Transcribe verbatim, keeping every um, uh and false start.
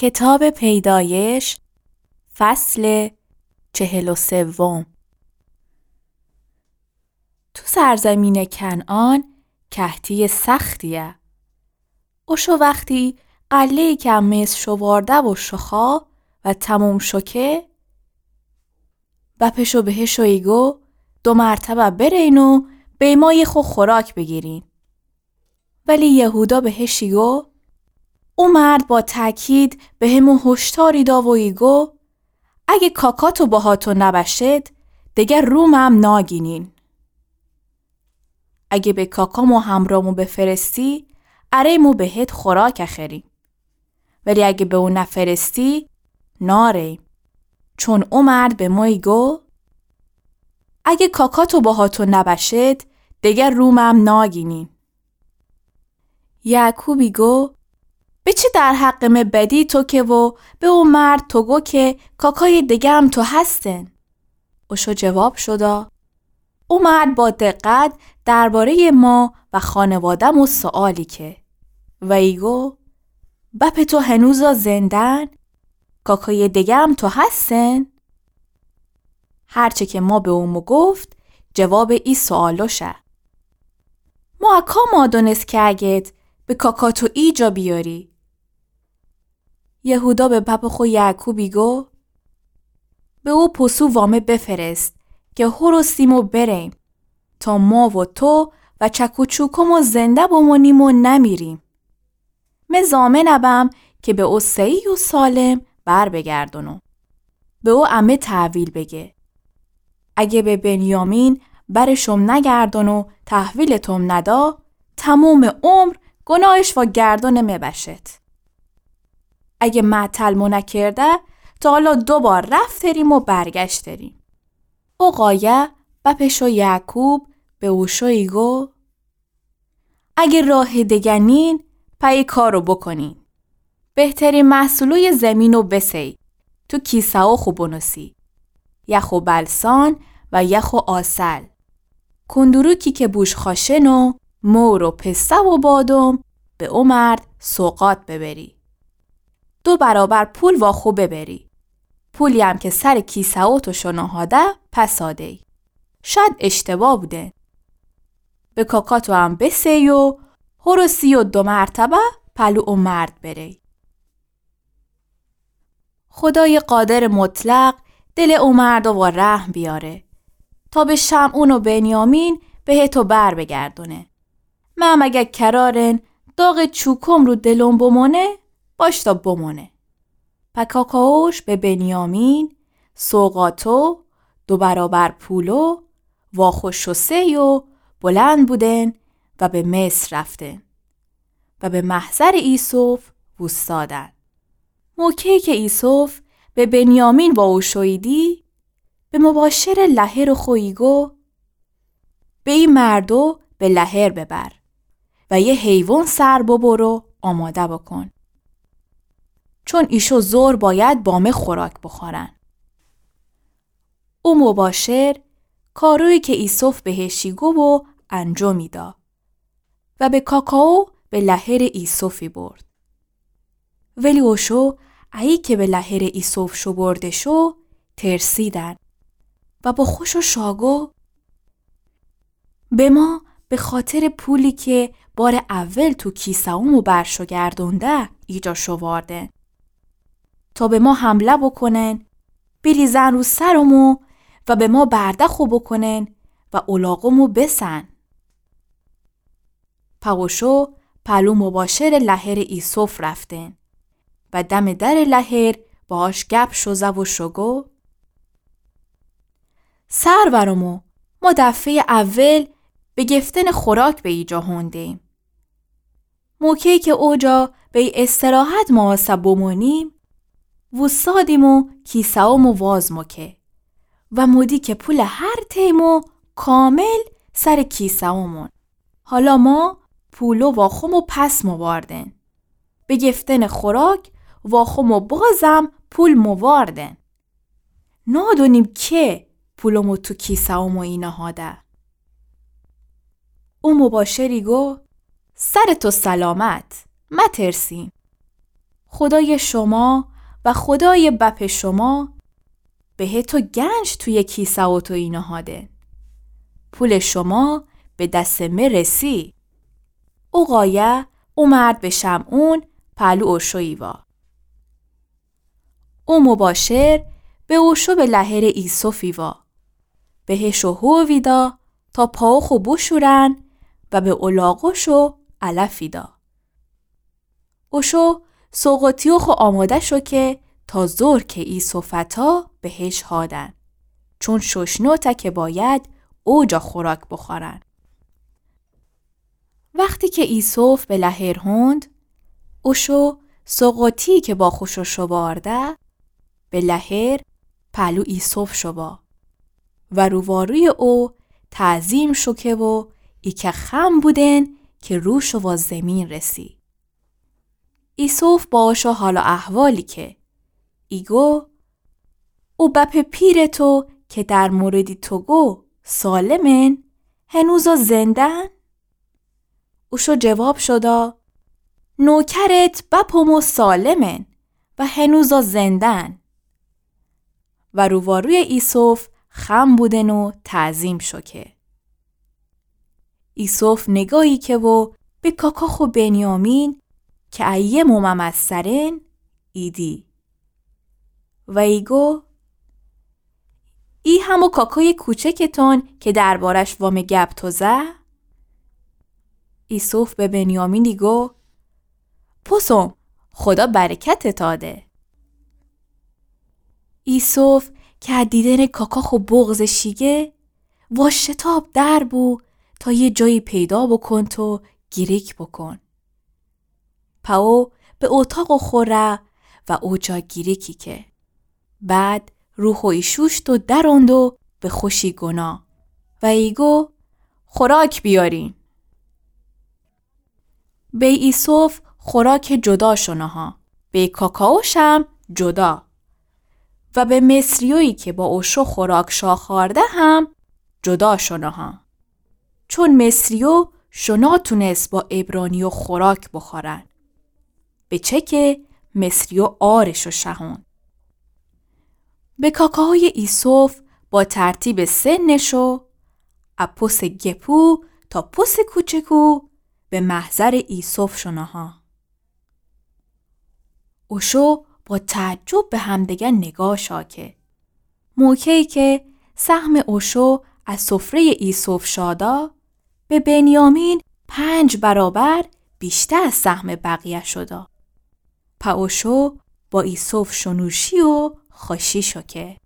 کتاب پیدایش، فصل چهل و سوم. تو سرزمین کنعان کهتی سختیه. اوشو وختی غله‌یی که مصر شووارده و شوخا و تموم شو که، بپشو بهش و ایگو دو مرتبه برین و بیمای خو خوراک بگیرین. ولی یهودا بهش ایگو، او مرد با تأکید بهمو هشداری دا و ایگو، اگه کاکاتو باهاتو نبشد، دگر رومم ناگینین. اگه به کاکامو همرامو بفرستی، اره مو بهت خوراک اخریم. ولی اگه به او نفرستی، ناریم. چون او مرد به مو ایگو، اگه کاکاتو باهاتو نبشد، دگر رومم ناگینین. یعقوب ایگو، به چی در حق مه بدی تو که و به او مرد تو گو که کاکای دگم تو هستن؟ اوشو جواب شودا، او مرد با دقت درباره‌ی ما و خانواده‌مو سؤالی که و ایگو، بپ تو هنوزا زندن؟ کاکای دگم تو هستن؟ هرچه که ما به اومو گفت، جواب ای سؤالوشه. ما اکا ما دونست که اگت به کاکاتو ایجا بیاری؟ یهودا به بپ خو یعقوب ایگو، به او پوسو وامه بفرست که هرستیم و بریم، تا ما و تو و چک و چوکومو زنده بمونیم و نمیریم. مه ضامن ابم که به او صحیح و سالم بر بگردونو. به او امه تحویل بگه. اگه به بنیامین برشم نگردون و تحویلتم ندا، تموم عمر گناهش وا گردون مه بشد. اگه معطل مو نکرده، تا حالا دو بار رفتریم و برگشتریم. او قایه بپشو یعقوب به اوشو ایگو، اگه راه دگه نین، پای کارو بکنین. بهترین محصولوی زمینو بسی، تو کیسه‌و خو بنوسی. یخ و بلسان و یخ و عسل. کندروکی که بوش خاشن و مور و پسته و بادم به او مرد سوغات ببری. دو برابر پول واخو ببری. پولی هم که سر کیسه‌وتو شو نهاده پس آدی. شاید اشتباه بوده. به کاکاتو هم بسی و هرو سی و دو مرتبه پلو او مرد بری. خدای قادر مطلق دل او مرد وا رحم بیاره تا به شمعون و بنیامین بهتو بر بگردونه. مه هم اگه کرارن داغ چوکم رو دلم بمونه، باشتا بمونه. پا کاکاوش به بنیامین سوغاتو دو برابر پولو واخو شوسی و بلند بودن و به مصر رفتن و به محضر ایسف ووستادن. موقعی که ایسف به بنیامین واوشوییدی، به مباشر لهر خو ایگو، به ای مردو به لهر ببر و یه حیوان سر ببر و آماده بکن. چون ایشو ظهر باید با مه خوراک بخورن. او مباشر کارویی که ایسف بهش ایگو و انجامی دا. و به کاکاو به لهر ایسف ایبرد. ولی اوشو، ایی که به لهر ایسف شوبرده شو، ترسیدن و با خوشو شاگو، به ما به خاطر پولی که بار اول تو کیسه‌ومو برشو گردونده ایجا شوواردن. تا به ما حمله بکنن، بریزن رو سرمو و به ما برده خو بکنن و الاغمو بسن. پا اوشو پلو مباشر لهر ایسف رفتن و دم در لهر باهاش گپ شوزه و شوگو، سرورمو، ما دفعه‌ی اول به گفتن خوراک به ایجا هوندیم. موقعی که اوجا به استراحت ماوسه بمونیم، ووستادیم و کیسه‌ومو واز موکه و مودی که پول هر تیمو کامل سر کیسه‌ومون. حالا ما پولو واخومو پس مواردن. به گفتن خوراک واخومو بازم پول مواردن. نادونیم که پولمو تو کیسه‌ومو اینهاده. او مباشری گو، سر تو سلامت، مترسین. خودایٚ شوما و خودایٚ بپٚ شوما بهتو گنج تویٚ کیسه اوتو اینهادن. پولٚ شوما به دسٚ مه رسی. او قایه او مرد به شمعون پهلو اوشو ایوا. او مباشر به اوشو به لهرٚ ایسف ایوا. بهشو هو ویدا تا پاوخو بوشورن و به اولاغوشو علف ایدا. اوشو سوقوطیوخو آماده شو که تا ظهر که ایسف اتا بهش هادن، چون شوشنوته که باید اوجا خوراک بوخورن. وختی که ایسف به لهر هوند، اوشو سوقوطی که با خوشو شوبارده، به لهر پهلو ایسف شوبا و روواروی او تعظیم شوکه و ایکه خم بودن که روشو وا زیمین رسی. ایسف با اوشو حال و احوالی که ایگو، او بپٚ پیرٚ تو که در موردی تو گو سالمن، هنوزا زندن؟ اوشو جواب شودا، نوکرت بپٚ مو سالمن و هنوزا زندن. و روواروی ایسف خم بودن و تعظیم شوکه. ایسف نگاهی که و به کاکا خو بنیامین که ایه مو ممسترن ایدی. و ایگو، ای همو کاکای کوچکتون که دربارش وامه گپ تو زه؟ ایسف به بنیامین ایگو، پسوم، خودا برکتت آده. ایسف که ا دیدن کاکا خو بغض شیگه، واشتاب در بو تا یه جایی پیدا بوکون تو گیریک بوکون. پا او به اوتاق خو ره و اوجا گیریکی که. بعد روخو ایشوشت و دروند و به خوشی گونا و ایگو، خوراک بیارین. به ایسف خوراک جدا شونها، به کاکاوشم جدا و به مصریویی که با اوشو خوراک شاخارده هم جدا شونها. چون مصریو شو ناتونس با عبرانیو خوراک بخورن، به چه که مصریو عارشو شهون. به کاکاهای ایسف با ترتیب سنشو، ا پس گپو تا پس کوچکو، به محضر ایسف شونها. اوشو با تعجب به همدگه نگاه شا که. موقعی که سهم اوشو از سفرهٔ ایسف شادا، به بنیامین پنج برابر بیشتر از سهم بقیه شدا. پا اوشو با ایسف شونوشی و خوشی شو که.